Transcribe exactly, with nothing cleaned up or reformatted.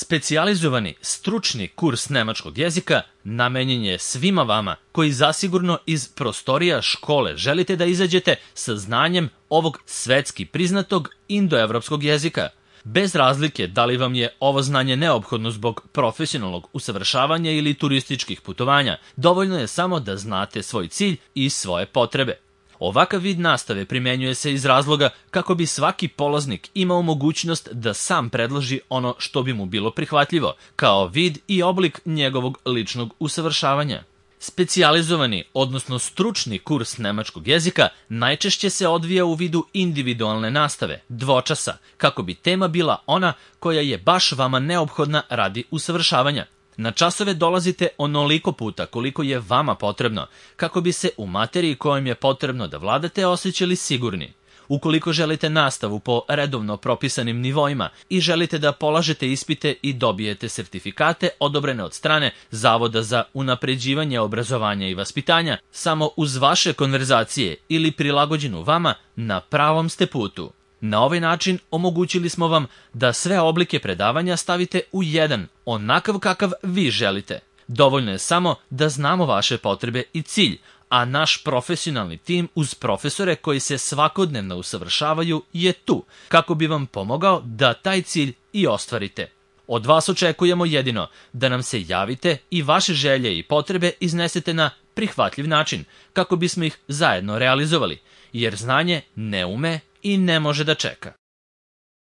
Specijalizovani stručni kurs nemačkog jezika namenjen je svima vama koji zasigurno iz prostorija škole želite da izađete sa znanjem ovog svetski priznatog indoevropskog jezika. Bez razlike da li vam je ovo znanje neophodno zbog profesionalnog usavršavanja ili turističkih putovanja, dovoljno je samo da znate svoj cilj i svoje potrebe. Ovakav vid nastave primenjuje se iz razloga kako bi svaki polaznik imao mogućnost da sam predloži ono što bi mu bilo prihvatljivo, kao vid i oblik njegovog ličnog usavršavanja. Specijalizovani, odnosno stručni kurs nemačkog jezika najčešće se odvija u vidu individualne nastave, dvočasa, kako bi tema bila ona koja je baš vama neophodna radi usavršavanja. Na časove dolazite onoliko puta koliko je vama potrebno, kako bi se u materiji kojom je potrebno da vladate osjećali sigurni. Ukoliko želite nastavu po redovno propisanim nivoima i želite da polažete ispite i dobijete sertifikate odobrene od strane Zavoda za unapređivanje obrazovanja i vaspitanja, samo uz vaše konverzacije ili prilagođenu vama, na pravom ste putu. Na ovaj način omogućili smo vam da sve oblike predavanja stavite u jedan, onakav kakav vi želite. Dovoljno je samo da znamo vaše potrebe i cilj, a naš profesionalni tim uz profesore koji se svakodnevno usavršavaju je tu, kako bi vam pomogao da taj cilj i ostvarite. Od vas očekujemo jedino da nam se javite i vaše želje i potrebe iznesete na prihvatljiv način, kako bismo ih zajedno realizovali, jer znanje ne ume i ne može da čeka.